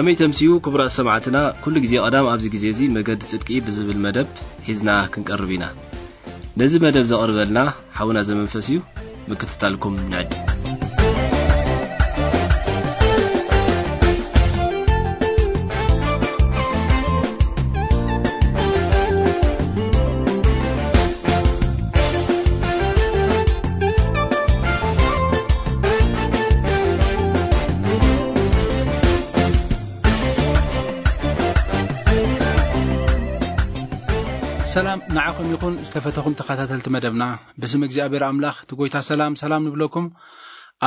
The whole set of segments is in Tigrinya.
ከመይ ተምስዩ ክቡራት ሰማዕትና፣ ኩሉ ግዜ ቀዳም ኣብዚ ግዜ እዚ መገዲ ጽድቂ ብዝብል መደብ ሒዝና ክንቀርብ ኢና። ነዚ መደብ ዘቕርበልና ሓውና ዘመንፈስ እዩ። ምክትታልኩም ንዕድ። ሰላም ንዓኹም ይኹን ዝተፈተኹም ተኸታተልቲ መደብና። ብስም እግዚኣብሔር ኣምላኽ እቲ ጐይታ ሰላም ሰላም ንብለኩም።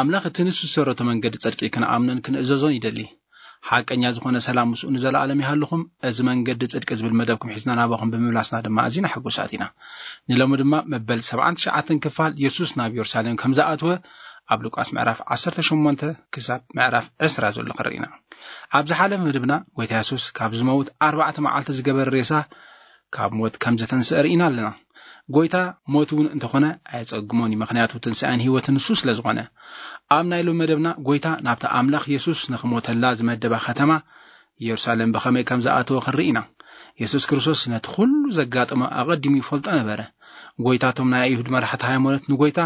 ኣምላኽ እቲ ንሱ ዝሰረቶ መንገዲ ጽድቂ ክንኣምንን ክንእዘዞን ይደሊ። ሓቀኛ ዝኾነ ሰላም ምስኡ ንዘለኣለም ይሃልኹም። እዚ መንገዲ ጽድቂ ዝብል መደብኩም ሒዝና ናባኹም ብምምላስና ድማ ኣዚና ሕጉሳት ኢና። ንሎሚ ድማ መበል ሰብዓን ትሽዓተን ክፋል የሱስ ናብ የሩሳሌም ከም ዝኣተወ ኣብ ሉቃስ ምዕራፍ ዓሰርተ ሸሞንተ ክሳብ ምዕራፍ ዕስራ ዘሎ ክንርኢ ኢና። ኣብ ዝሓለፈ መደብና ጐይታ የሱስ ካብ ዝመውት ኣርባዕተ መዓልቲ ዝገበረ ሬሳ ካብ ሞት ከም ዘተንስአ ርኢና ኣለና። ጐይታ ሞት እውን እንተኾነ ኣየጸግሞን እዩ፣ ምኽንያቱ ትንሳኤን ህይወትን ንሱ ስለ ዝኾነ። ኣብ ናይ ሎሚ መደብና ጐይታ ናብታ ኣምላኽ የሱስ ንኽሞተላ ዝመደባ ከተማ የሩሳሌም ብኸመይ ከም ዝኣተወ ክንርኢ ኢና። የሱስ ክርስቶስ ነቲ ኩሉ ዘጋጠሞ ኣቐዲሙ ይፈልጦ ነበረ። ጐይታቶም ናይ ኣይሁድ መራሕቲ ሃይማኖት ንጐይታ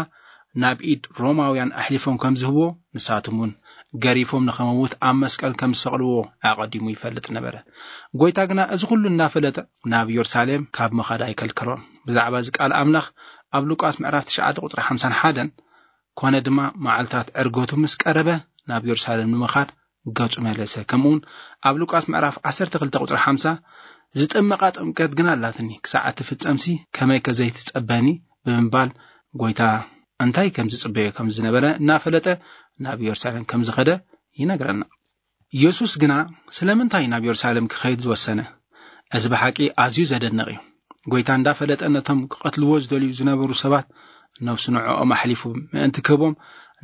ናብ ኢድ ሮማውያን ኣሕሊፎም ከም ዝህብዎ፣ ንሳቶም እውን ገሪፎም ንኸመውት ኣብ መስቀል ከም ዝሰቕልዎ ኣቐዲሙ ይፈልጥ ነበረ። ጐይታ ግና እዚ ኩሉ እናፈለጠ ናብ የሩሳሌም ካብ ምኻድ ኣይከልከሎን። ብዛዕባ እዚ ቃል ኣምላኽ ኣብ ሉቃስ ምዕራፍ ትሽዓተ ቁጽሪ ሓምሳን ሓደን፣ ኮነ ድማ መዓልታት ዕርገቱ ምስ ቀረበ ናብ የሩሳሌም ንምኻድ ገጹ መለሰ። ከምኡውን ኣብ ሉቃስ ምዕራፍ ዓሰርተ ክልተ ቁጽሪ ሓምሳ፣ "ዝጥመቓ ጥምቀት ግን ኣላትኒ፣ ክሳዕ እትፍጸምሲ ከመይከ ዘይትጸበኒ?" ብምባል ጐይታ እንታይ ከም ዝጽበዮ ከም ዝነበረ እናፈለጠ ናብ የሩሳሌም ከም ዝኸደ ይነግረና። የሱስ ግና ስለምንታይ ናብ የሩሳሌም ክኸይድ ዝወሰነ? እዚ ብሓቂ ኣዝዩ ዘደንቕ እዩ። ጐይታ እንዳፈለጠ ነቶም ክቐትልዎ ዝደልዩ ዝነበሩ ሰባት ነብሱ ንዕኦም ኣሕሊፉ ምእንቲ ክህቦም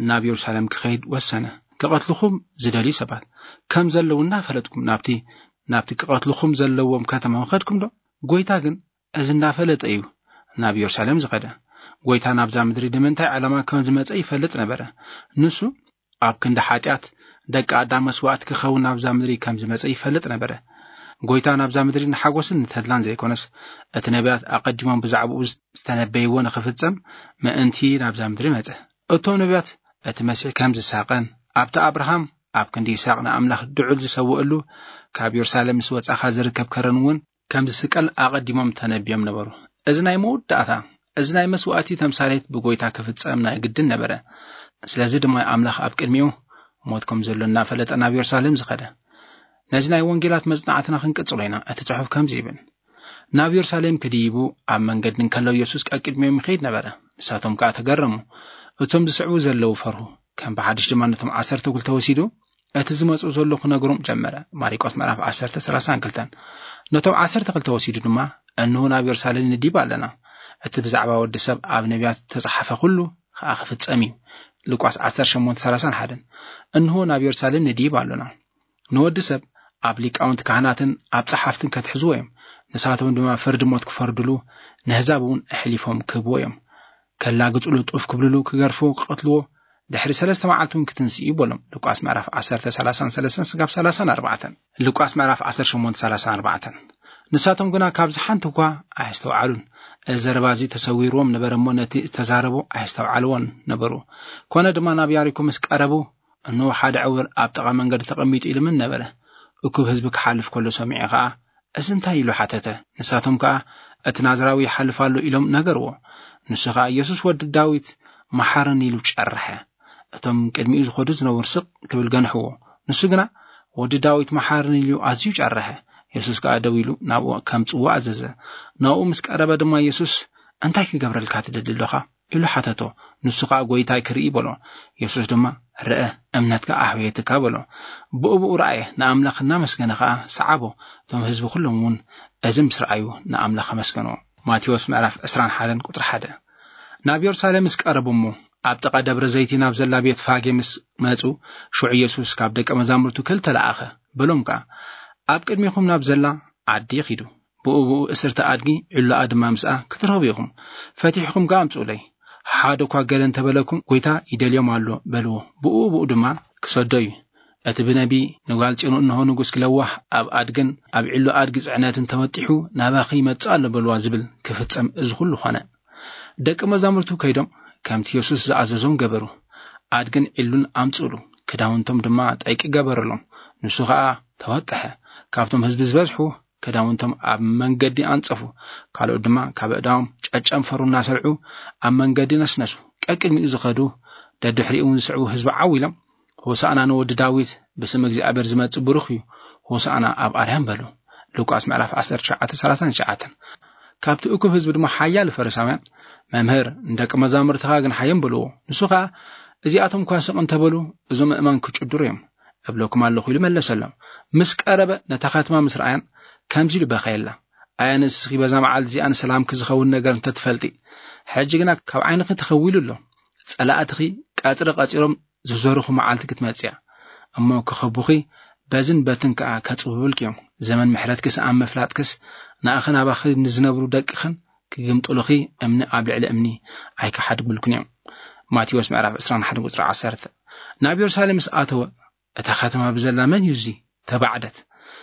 ናብ የሩሳሌም ክኸይድ ወሰነ። ክቐትልኹም ዝደልዩ ሰባት ከም ዘለዉ እናፈለጥኩም ናብቲ፣ ናብቲ ክቐትልኹም ዘለዎም ከተማ ምኸድኩም ዶ? ጐይታ ግን እዚ እንዳፈለጠ እዩ ናብ የሩሳሌም ዝኸደ። ጐይታ ናብዛ ምድሪ ንምንታይ ዕላማ ከም ዝመጸ ይፈልጥ ነበረ። ንሱ ኣብ ክንዲ ሓጢኣት ደቂ ኣዳም መስዋእቲ ክኸውን ናብዛ ምድሪ ከም ዝመጸ ይፈልጥ ነበረ። ጐይታ ናብዛ ምድሪ ንሓጎስን ንተድላን ዘይኮነስ፣ እቲ ነቢያት ኣቐዲሞም ብዛዕባኡ ዝተነበይዎ ንኽፍጸም ምእንቲ ናብዛ ምድሪ መጸ። እቶም ነቢያት እቲ መሲሕ ከም ዝሳቐን፣ ኣብቲ ኣብርሃም ኣብ ክንዲ ይስሐቅ ንኣምላኽ ድዑል ዝሰውእሉ፣ ካብ የሩሳሌም ምስ ወጻኻ ዝርከብ ከረን እውን ከም ዝስቀል ኣቐዲሞም ተነቢዮም ነበሩ። እዚ ናይ መወዳእታ፣ እዚ ናይ መስዋእቲ ተምሳሌት ብጐይታ ክፍጸም ናይ ግድን ነበረ። ስለዚ ድማ ኣምላኽ ኣብ ቅድሚኡ ሞት ከም ዘሎ እናፈለጠ ናብ የሩሳሌም ዝኸደ። ነዚ ናይ ወንጌላት መጽናዕትና ክንቅጽሎ ኢና። እቲ ጽሑፍ ከምዚ ይብል፣ "ናብ የሩሳሌም ክድይቡ ኣብ መንገዲ እንከለዉ የሱስ ቀቅድሚኦም ይኸይድ ነበረ። ንሳቶም ከኣ ተገረሙ። እቶም ዝስዕቡ ዘለዉ ፈርሁ። ከም ብሓድሽ ድማ ነቶም ዓሰርተ ክልተ ወሲዱ፣ እቲ ዝመጽኡ ዘሎ ክነግሮም ጀመረ።" ማሪቆስ ምዕራፍ ዓሰርተ ሰላሳን ክልተን። ነቶም ዓሰርተ ክልተ ወሲዱ ድማ፣ "እንሆ ናብ የሩሳሌም ንዲብ ኣለና። እቲ ብዛዕባ ወዲ ሰብ ኣብ ነቢያት ዝተጻሕፈ ኩሉ ከኣ ክፍጸም እዩ።" ሉቃስ ዓሰርተ ሸሞንተ ሰላሳን ሓደን። "እንሆ ናብ የሩሳሌም ንዲብ ኣሎና። ንወዲ ሰብ ኣብ ሊቃውንቲ ካህናትን ኣብ ጸሓፍትን ከትሕዝዎ እዮም። ንሳቶም ድማ ፍርዲ ሞት ክፈርድሉ፣ ነህዛብ እውን ኣሕሊፎም ክህብዎ እዮም። ከላግጹሉ፣ ጡፍ ክብልሉ፣ ክገርፍዎ፣ ክቐትልዎ፣ ድሕሪ ሰለስተ መዓልቲ እውን ክትንስእ እዩ" በሎም። ሉቃስ ምዕራፍ ዓሰርተ፣ ሰላሳን ሰለስተን ስጋብ ሰላሳን ኣርባዕተን። ሉቃስ ምዕራፍ ዓሰርተ ሸሞንተ፣ ሰላሳን ኣርባዕተን። ንሳቶም ግና ካብዚ ሓንቲ እኳ ኣየስተውዓሉን። እዚ ዘረባ እዚ ተሰዊርዎም ነበረ እሞ ነቲ ዝተዛረቦ ኣየስተውዓልዎን ነበሩ። ኮነ ድማ ናብ ያሪኮ ምስ ቀረቡ፣ እንሆ ሓደ ዕውር ኣብ ጥቓ መንገዲ ተቐሚጡ ኢልምን ነበረ። እኩብ ህዝቢ ክሓልፍ ከሎ ሰሚዑ ኸኣ፣ "እዚ እንታይ?" ኢሉ ሓተተ። ንሳቶም ከኣ፣ "እቲ ናዝራዊ ይሓልፍ ኣሎ" ኢሎም ነገርዎ። ንሱ ኸኣ፣ "የሱስ ወዲ ዳዊት፣ መሓረኒ" ኢሉ ጨርሐ። እቶም ቅድሚኡ ዝኸዱ ዝነበሩ ስቕ ክብል ገንሕዎ። ንሱ ግና፣ "ወዲ ዳዊት፣ መሓረኒ" ኢሉ ኣዝዩ ጨርሐ። የሱስ ከኣ ደው ኢሉ ናብኡ ከምጽዎ ኣዘዘ። ናብኡ ምስ ቀረበ ድማ የሱስ፣ "እንታይ ክገብረልካ ትደሊ ኣሎኻ?" ኢሉ ሓተቶ። ንሱ ኸኣ፣ "ጐይታይ፣ ክርኢ" በሎ። የሱስ ድማ፣ "ርአ፣ እምነትካ ኣሕወየትካ" በሎ። ብኡ ብኡ ረኣየ፣ ንኣምላኽ እናመስገነ ኸኣ ሰዓቦ። እቶም ህዝቢ ኵሎም እውን እዚ ምስ ረኣዩ ንኣምላኽ ኣመስገንዎ። ማቴዎስ ምዕራፍ ዕስራን ሓደን ቁጽሪ ሓደ። ናብ የሩሳሌም ምስ ቀረቡ እሞ፣ ኣብ ጥቓ ደብረ ዘይቲ ናብ ዘላ ቤት ፋጌ ምስ መጹ፣ ሽዑ የሱስ ካብ ደቀ መዛሙርቱ ክልተ ለኣኸ፣ በሎም ከኣ፣ "ኣብ ቅድሚኹም ናብ ዘላ ዓዲ ኺዱ፣ ብኡ ብኡ እስርቲ ኣድጊ ዒላኣ ድማ ምስኣ ክትረኽቡ ኢኹም። ፈቲሕኩም ከኣ ኣምጽኡለይ። ሓደ እኳ ገለ እንተ በለኩም፣ ጐይታ ይደልዮም ኣሎ በልዎ፣ ብኡ ብኡ ድማ ክሰዶ እዩ። እቲ ብነቢ ንጓል ጽዮኑ እንሆ ንጉስ ክለዋህ ኣብ ኣድግን ኣብ ዕሉ ኣድጊ ጽዕነትን ተወጢሑ ናባኺ ይመጽእ ኣሎ በልዋ ዝብል ክፍጸም እዚ ኩሉ ኾነ። ደቂ መዛሙርቱ ከይዶም ከምቲ የሱስ ዝኣዘዞም ገበሩ። ኣድግን ዕሉን ኣምጽእሉ፣ ክዳውንቶም ድማ ጠይቂ ገበረሎም። ንሱ ኸኣ ተወጥሐ። ካብቶም ህዝቢ ዝበዝሑ ክዳውንቶም ኣብ መንገዲ ኣንጸፉ፣ ካልኦት ድማ ካብ ኣእዳዎም ጨጨንፈሩ እናሰልዑ ኣብ መንገዲ ነስነሱ። ቀቅድሚኡ ዝኸዱ ደድሕሪኡ እውን ዝስዕቡ ህዝቢ ዓው ኢሎም፣ "ሆሳዕና ንወዲ ዳዊት፣ ብስም እግዚኣብሔር ዝመጽእ ብሩኽ እዩ፣ ሆሳዕና ኣብ ኣርያም" በሉ። ሉቃስ ምዕራፍ ዓሰርተ ትሽዓተ ሰላሳን ትሽዓተን። ካብቲ እኩብ ህዝቢ ድማ ሓያሎ ፈሪሳውያን፣ "መምህር፣ ንደቂ መዛሙርትኻ ግን ሓዮም በልዎ። ንሱ ኸኣ፣ እዚኣቶም እኳ ስቕ እንተበሉ፣ እዞም ኣእማን ክጭድሩ እዮም እብለኩም ኣለኹ" ኢሉ መለሰሎም። ምስ ቀረበ ነታ ከተማ ምስ ረኣያን ከምዚ ኢሉ በኸየላ፣ "ኣየ ንስኺ በዛ መዓልቲ እዚኣ ንሰላምኪ ዝኸውን ነገር እንተትፈልጢ! ሕጂ ግና ካብ ዓይንኺ ተኸዊሉ ኣሎ። ጸላእትኺ ቀጽሪ ቀጺሮም ዝዞርኹ መዓልቲ ክትመጽእ እያ። እሞ ክኸቡኺ፣ በዝን በትን ከኣ ከጽብብልኪ እዮም። ዘመን ምሕረትኪስ ኣብ ምፍላጥክስ፣ ንኣኽን ኣባኺ ንዝነብሩ ደቅኽን ክግምጥሉኺ፣ እምኒ ኣብ ልዕሊ እምኒ ኣይክሓድጉልኩን እዮም።" ማቴዎስ ምዕራፍ ዕስራን ሓደን ቁጽሪ ዓሰርተ። ናብ የሩሳሌም ምስ ኣተወ፣ እታ ከተማ ብዘላ "መን እዩ እዚ?" ተባዕደት።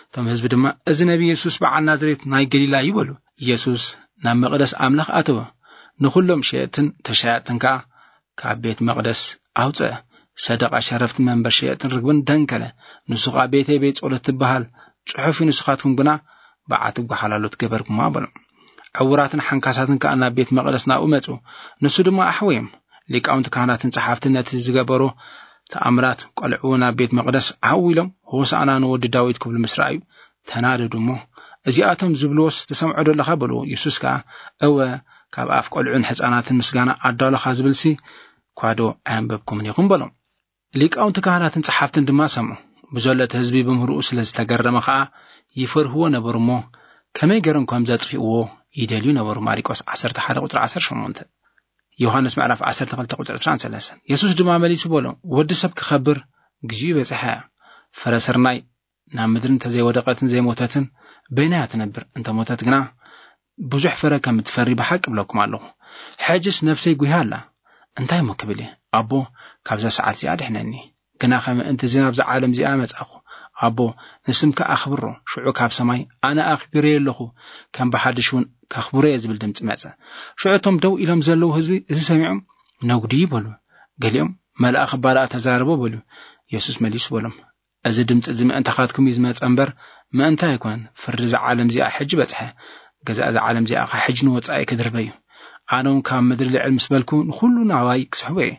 እቶም ህዝቢ ድማ፣ "እዚ ነቢ የሱስ በዓል ናዝሬት ናይ ገሊላ እዩ" በሉ። የሱስ ናብ መቕደስ ኣምላኽ ኣተወ። ንኹሎም ሸየጥትን ተሻየጥትን ከኣ ካብ ቤት መቕደስ ኣውጽአ። ሰደቓ ሸረፍቲ መንበር ሸየጥትን ርግብን ደንከለ። ንሱ ኸኣ፣ "ቤተይ ቤት ጸሎት ትበሃል ጽሑፍ እዩ፣ ንስኻትኩም ግና በዓቲ ጓሓላሉ ትገበርኩማ" በሎም። ዕዉራትን ሓንካሳትን ከኣ ናብ ቤት መቕደስ ናብኡ መጹ። ንሱ ድማ ኣሕወዮም። ሊቃውንቲ ካህናትን ጸሓፍትን ነቲ ዝገበሮ ተኣምራት ቆልዑ ናብ ቤት መቕደስ ዓው ኢሎም፣ "ሆሳዕና ንወዲ ዳዊት" ክብሉ ምስ ረኣዩ ተናደዱ እሞ፣ "እዚኣቶም ዝብልዎስ ትሰምዖ ዶ ኣለኻ?" በልዎ። የሱስ ከኣ፣ "እወ፣ ካብ ኣፍ ቆልዑን ሕጻናትን ምስጋና ኣዳሎኻ ዝብልሲ ኳዶ ኣየንበብኩምን ኢኹም?" በሎም። ሊቃውንቲ ካህናትን ጸሓፍትን ድማ ሰምዑ። ብዘሎ እቲ ህዝቢ ብምህርኡ ስለ ዝተገረመ ኸኣ ይፈርህዎ ነበሩ እሞ፣ ከመይ ገይሮም ከም ዘጥፍእዎ ይደልዩ ነበሩ። ማሪቆስ ዓሰርተ ሓደ ቁጽሪ ዓሰርተ ሸሞንተ። ዮሃንስ ምዕራፍ ዓሰርተ ክልተ ቁጽሪ ዕስራን ሰለስተን። የሱስ ድማ መሊሱ በሎም፣ "ወዲ ሰብ ክኸብር ግዜኡ በጺሓ እያ። ፍረ ስርናይ ናብ ምድሪ እንተዘይወደቐትን ዘይሞተትን፣ በይናያ ትነብር? እንተ ሞተት ግና ብዙሕ ፍረ ከም እትፈሪ ብሓቂ እብለኩም ኣለኹ። ሕጅስ ነፍሰይ ጉሂያ ኣላ። እንታይ እሞ ክብል እየ? ኣቦ፣ ካብዛ ሰዓት እዚኣ ኣድሕነኒ። ግናኸ ምእንቲ እዚ ናብዛ ዓለም እዚኣ መጻኹ። ኣቦ፣ ንስምካ ኣኽብሮ። ሽዑ ካብ ሰማይ፣ ኣነ ኣኽቢረዮ ኣለኹ፣ ከም ብሓድሽ እውን ከኽብሮ እየ" ዝብል ድምጺ መጸ። ሽዑ እቶም ደው ኢሎም ዘለዉ ህዝቢ እዚ ሰሚዖም፣ "ነጉዲ" በሉ። ገሊኦም፣ "መልኣኽ እባ ደኣ ተዛረቦ" በሉ። የሱስ መሊሱ በሎም፣ "እዚ ድምጺ እዚ ምእንታኻትኩም እዩ ዝመጸ እምበር፣ ምእንታይ ኣይኮነን። ፍርዲ እዛ ዓለም እዚኣ ሕጂ በጽሐ። ገዛእ እዛ ዓለም እዚኣ ኸኣ ሕጂ ንወጻኢ ክድርበ እዩ። ኣነ እውን ካብ ምድሪ ልዕል ምስ በልኩ፣ ንኹሉ ናባይ ክስሕቦ እየ።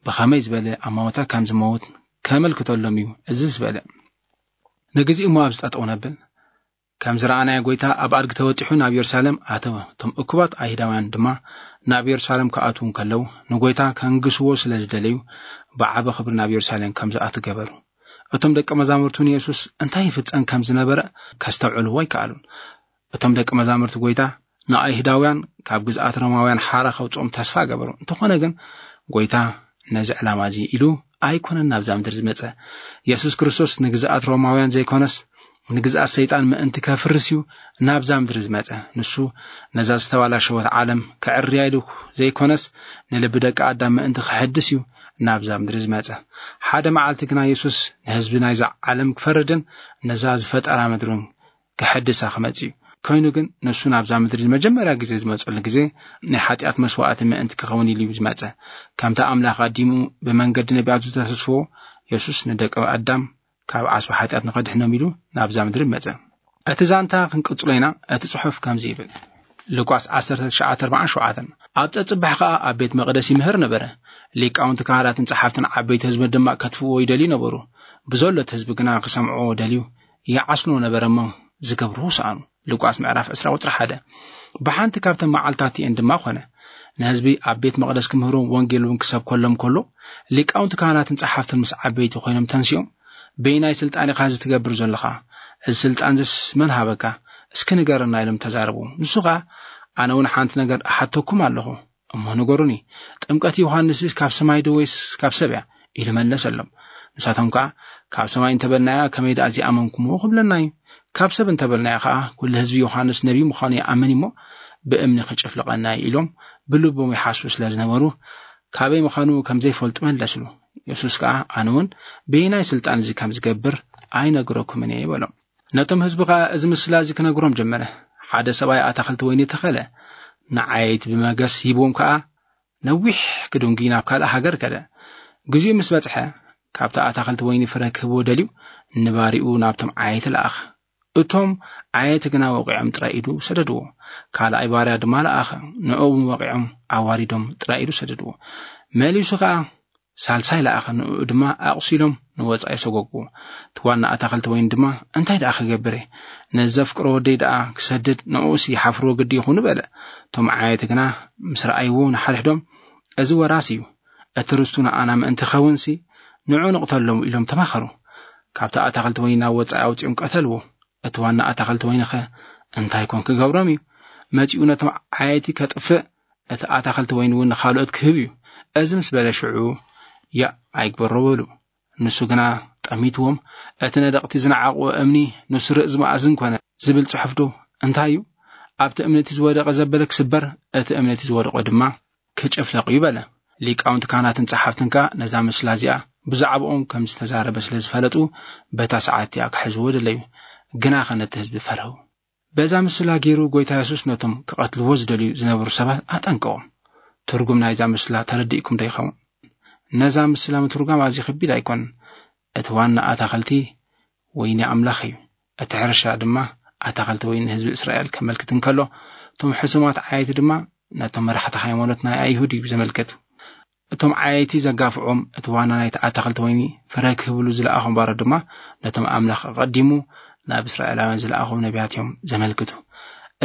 ብኸመይ ዝበለ ኣማውታ ከም ዝመውት ከመልክተሎም እዩ እዚ ዝበለ?" ንግዜኡ እሞ ኣብዚ ጠጠው ነብል። ከም ዝረኣናዮ፣ ጐይታ ኣብ ኣድጊ ተወጢሑ ናብ የሩሳሌም ኣተወ። እቶም እኩባት ኣይሁዳውያን ድማ ናብ የሩሳሌም ክኣትዉ እንከለዉ፣ ንጐይታ ከንግስዎ ስለ ዝደለዩ፣ ብዓቢ ክብሪ ናብ የሩሳሌም ከም ዝኣቱ ገበሩ። እቶም ደቀ መዛሙርቱ ንየሱስ እንታይ ይፍጸም ከም ዝነበረ ከስተውዕልዎ ኣይከኣሉን። እቶም ደቀ መዛሙርቲ ጐይታ ንኣይሁዳውያን ካብ ግዝኣት ሮማውያን ሓራ ከውጽኦም ተስፋ ገበሩ። እንተኾነ ግን፣ ጐይታ ነዚ ዕላማ እዚ ኢሉ ኣይኮነን ናብዛ ምድሪ ዝመጸ። የሱስ ክርስቶስ ንግዝኣት ሮማውያን ዘይኮነስ፣ ንግዝኣት ሰይጣን ምእንቲ ከፍርስ እዩ ናብዛ ምድሪ ዝመጸ። ንሱ ነዛ ዝተባላሸወት ዓለም ክዕርያ ኢሉ ዘይኮነስ፣ ንልቢ ደቂ ኣዳም ምእንቲ ክሕድስ እዩ ናብዛ ምድሪ ዝመጸ። ሓደ መዓልቲ ግና የሱስ ንህዝቢ ናይዛ ዓለም ክፈርድን ነዛ ዝፈጠራ ምድርን ክሕድሳ ክመጽእ እዩ። ኮይኑ ግን፣ ንሱ ናብዛ ምድሪ ንመጀመርያ ግዜ ዝመጸሉ ግዜ፣ ናይ ሓጢኣት መስዋእቲ ምእንቲ ክኸውን ኢሉ እዩ ዝመጸ። ከምቲ ኣምላኽ ኣዲሙ ብመንገዲ ነቢያቱ ዝተሰስፎ፣ የሱስ ንደቂ ኣዳም ካብ ዓስቢ ሓጢኣት ንኸድሕኖም ኢሉ ናብዛ ምድሪ መጸ። እቲ ዛንታ ክንቅጽሎ ኢና። እቲ ጽሑፍ ከምዚ ይብል፣ ሉቃስ ዓሰርተ ትሽዓተ ኣርባዓን ሸውዓተን፣ ኣብ ጸጽባሕ ከኣ ኣብ ቤት መቕደስ ይምህር ነበረ። ሊቃውንቲ ካህናትን ጸሓፍትን ዓበይቲ ህዝቢ ድማ ከጥፍእዎ ይደልዩ ነበሩ። ብዘሎ እቲ ህዝቢ ግና ክሰምዕዎ ደልዩ ይዓስልዎ ነበረ እሞ፣ ዝገብርዎ ሰኣኑ። ሉቃስ ምዕራፍ ዕስራ ቁጽሪ ሓደ። ብሓንቲ ካብተን መዓልታት እቲኤን ድማ ኾነ፣ ንህዝቢ ኣብ ቤት መቕደስ ክምህሮም ወንጌል እውን ክሰብከሎም ከሎ፣ ሊቃውንቲ ካህናትን ጸሓፍትን ምስ ዓበይቲ ኮይኖም ተንሲኦም፣ "በየናይ ስልጣን ኢኻ እዚ ትገብር ዘለኻ? እዚ ስልጣን እዚስ መን ሃበካ? እስኪ ንገረና" ኢሎም ተዛረቡ። ንሱ ኸኣ፣ "ኣነ እውን ሓንቲ ነገር እሓተኩም ኣለኹ፣ እሞ ንገሩኒ፣ ጥምቀት ዮሃንስ ካብ ሰማይ ዶ ወይስ ካብ ሰብ እያ?" ኢሉ መለሰሎም። ንሳቶም ከኣ፣ "ካብ ሰማይ እንተበልናያ፣ ከመይ ደኣ እዚኣመንኩምዎ ክብለና እዩ? ካብ ሰብ እንተበልናያ ከኣ፣ ኩሉ ህዝቢ ዮሃንስ ነቢይ ምዃኑ ይኣምን እሞ፣ ብእምኒ ክጭፍልቐና እዩ" ኢሎም ብልቦም ይሓስቡ ስለ ዝነበሩ፣ ካበይ ምዃኑ ከም ዘይፈልጡ መለስሉ። የሱስ ከኣ፣ ኣነ እውን በየናይ ስልጣን እዚ ከም ዝገብር ኣይነግረኩምን እየ በሎም። ነቶም ህዝቢ ከኣ እዚ ምስላ እዚ ክነግሮም ጀመረ። ሓደ ሰብኣይ ኣታኽልቲ ወይኒ ተኸለ፣ ንዓየይቲ ብመገስ ሂብዎም ከኣ ነዊሕ ክድንጉይ ናብ ካልእ ሃገር ከደ። ግዜኡ ምስ በጽሐ፣ ካብቲ ኣታኽልቲ ወይኒ ፍረ ክህብዎ ደልዩ ንባሪኡ ናብቶም ዓየይቲ ለኣኸ። እቶም ዓየይቲ ግና ወቒዖም ጥራይ ኢዱ ሰደድዎ። ካልኣይ ባርያ ድማ ለኣኸ። ንዕኡ እውን ወቒዖም ኣዋሪዶም ጥራይ ኢዱ ሰደድዎ። መሊሱ ከኣ ሳልሳይ ለኣኸ። ንዕኡ ድማ ኣቑሲሎም ንወጻኢ ሰጎግዎ። እቲ ዋና ኣታኽልቲ ወይኒ ድማ፣ እንታይ ደኣ ክገብር እየ? ነዚ ዘፍቅሮ ወደይ ደኣ ክሰድድ ንዕኡስ ይሓፍርዎ ግዲ ይኹኑ በለ። እቶም ዓየይቲ ግና ምስ ረኣይዎ ንሓድሕዶም፣ እዚ ወራስ እዩ፣ እቲ ርስቱ ንኣና ምእንቲ ኸውንሲ ንዑ ንቕተሎም ኢሎም ተማኸሩ። ካብቲ ኣታኽልቲ ወይኒ ናብ ወጻኢ ኣውጺኦም ቀተልዎ። እቲ ዋና ኣታኽልቲ ወይኒ ኸ እንታይ ኮን ክገብሮም እዩ? መጺኡ ነቶም ዓየይቲ ከጥፍእ፣ እቲ ኣታኽልቲ ወይኒ እውን ንኻልኦት ክህብ እዩ። እዚ ምስ በለ ሽዑ ያእ ኣይግበሮ በሉ። ንሱ ግና ጠሚትዎም፣ እቲ ነደቕቲ ዝነዓቕዎ እምኒ ንሱ ርእዚ መኣዝን ኮነ ዝብል ጽሑፍ ዶ እንታይ እዩ? ኣብቲ እምኒ እቲ ዝወደቐ ዘበለ ክስበር፣ እቲ እምኒ እቲ ዝወደቖ ድማ ክጭፍለቕ እዩ በለ። ሊቃውንቲ ካህናትን ጸሓፍትን ከኣ ነዛ ምስላ እዚኣ ብዛዕባኦም ከም ዝተዛረበ ስለ ዝፈለጡ፣ በታ ሰዓት እቲኣ ክሕዝዎ ደለዩ። ግናኸ ነቲ ህዝቢ ፈርሁ። በዛ ምስላ ገይሩ ጐይታ የሱስ ነቶም ክቐትልዎ ዝደልዩ ዝነበሩ ሰባት ኣጠንቀቖም። ትርጉም ናይዛ ምስላ ተረዲእኩም ዶ ይኸውን? ነዛ ምስላ ምትርጓም ኣዝዩ ከቢድ ኣይኮነን። እቲ ዋና ኣታኸልቲ ወይኒ ኣምላኽ እዩ። እቲ ሕርሻ ድማ ኣታኸልቲ ወይኒ ህዝቢ እስራኤል ከመልክት እንከሎ፣ እቶም ሕሱማት ዓየይቲ ድማ ነቶም መራሕቲ ሃይማኖት ናይ ኣይሁድ እዩ ዘመልክት። እቶም ዓየይቲ ዘጋፍዖም፣ እቲ ዋና ናይቲ ኣታኸልቲ ወይኒ ፍረ ክህብሉ ዝለኣኾም ባሮት ድማ ነቶም ኣምላኽ ኣቐዲሙ ናብ እስራኤላውያን ዝለኣኾም ነቢያት እዮም ዘመልክቱ።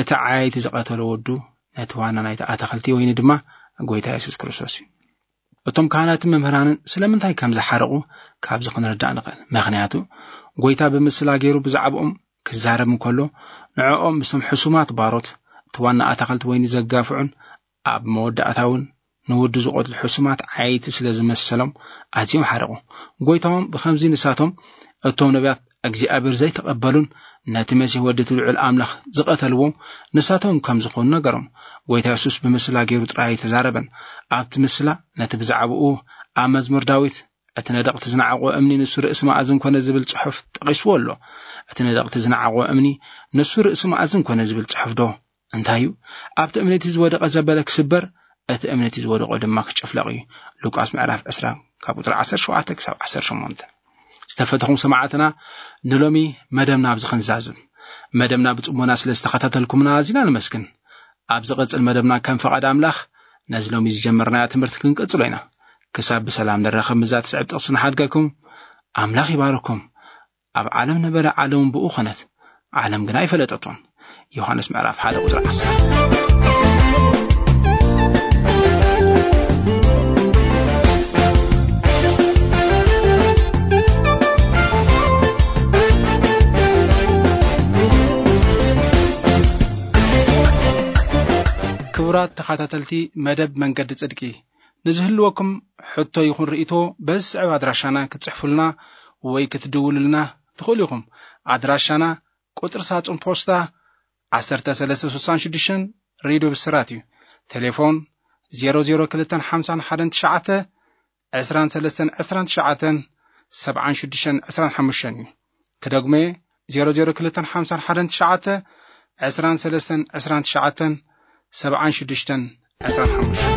እቲ ዓየይቲ ዝቐተሎ ወዱ ነቲ ዋና ናይቲ ኣታኸልቲ ወይኒ ድማ ጐይታ የሱስ ክርስቶስ እዩ። እቶም ካህናትን መምህራንን ስለምንታይ ከም ዝሓረቑ ካብዚ ክንርዳእ ንኽእል። ምኽንያቱ ጐይታ ብምስላ ገይሩ ብዛዕባኦም ክዛረብ እንከሎ፣ ንዕኦም ምስቶም ሕሱማት ባሮት፣ እቲ ዋና ኣታኸልቲ ወይኒ ዘጋፍዑን ኣብ መወዳእታ እውን ንወዱ ዝቐትሉ ሕሱማት ዓየይቲ ስለ ዝመሰሎም ኣዝዮም ሓረቑ። ጐይታኦም ብኸምዚ ንሳቶም እቶም ነቢያት እግዚኣብሔር ዘይተቐበሉን ነቲ መሲሕ ወዲ እቲ ልዑል ኣምላኽ ዝቐተልዎም ንሳቶም ከም ዝኾኑ ነገሮም። ጐይታ የሱስ ብምስላ ገይሩ ጥራይ ኣይተዛረበን። ኣብቲ ምስላ ነቲ ብዛዕባኡ ኣብ መዝሙር ዳዊት፣ "እቲ ነደቕቲ ዝነዓቕዎ እምኒ ንሱ ርእሲ መኣዝን ኮነ" ዝብል ጽሑፍ ጠቒስዎ ኣሎ። እቲ ነደቕቲ ዝነዓቕዎ እምኒ ንሱ ርእሲ መኣዝን ኮነ ዝብል ጽሑፍ ዶ እንታይ እዩ? ኣብቲ እምኒ እቲ ዝወደቐ ዘበለ ክስበር፣ እቲ እምኒ እቲ ዝወደቖ ድማ ክጭፍለቕ እዩ። ሉቃስ ምዕራፍ ዕስራ ካብ ቁጽሪ ዓሰርተ ሸውዓተ ክሳብ ዓሰርተ ሸሞንተ። ዝተፈተኹም ሰማዕትና፣ ንሎሚ መደብና ኣብዚ ክንዛዝም። መደብና ብጽሞና ስለ ዝተኸታተልኩምና ኣዚና ንመስግን። ኣብ ዝቐጽል መደብና ከም ፈቓድ ኣምላኽ ነዚ ሎሚ ዝጀመርናዮ ትምህርቲ ክንቅጽሎ ኢና። ክሳብ ብሰላም ንራኸብ ምስዛ ትስዕብ ጥቕሲ ንሓድገኩም። ኣምላኽ ይባርኩም። ኣብ ዓለም ነበረ፣ ዓለምን ብኡ ኾነት፣ ዓለም ግና ኣይፈለጠቶን። ዮሃንስ ምዕራፍ ሓደ ቁጽሪ ዓሰርተ። ክቡራት ተኸታተልቲ መደብ መንገዲ ጽድቂ፣ ንዝህልወኩም ሕቶ ይኹን ርእይቶ በዚ ዝስዕብ ኣድራሻና ክትጽሕፉልና ወይ ክትድውሉልና ትኽእሉ ኢኹም። ኣድራሻና ቁጽሪ ሳጹን ፖስታ ዓሰርተ ሰለስተ ስሳን ሽዱሽተን፣ ሬድዮ ብስራት እዩ። ቴሌፎን ዜሮ ዜሮ ክልተን ሓምሳን ሓደን ትሽዓተ፣ ዕስራን ሰለስተን ዕስራን ትሽዓተን፣ ሰብዓን ሽዱሽተን ዕስራን ሓሙሽተን እዩ። ክደግሞ፣ ዜሮ ዜሮ ክልተን ሓምሳን ሓደን ትሽዓተ፣ ዕስራን ሰለስተን ዕስራን ትሽዓተን፣ ሰብዓን ሽዱሽተን ዕስራን ሓሙሽተን።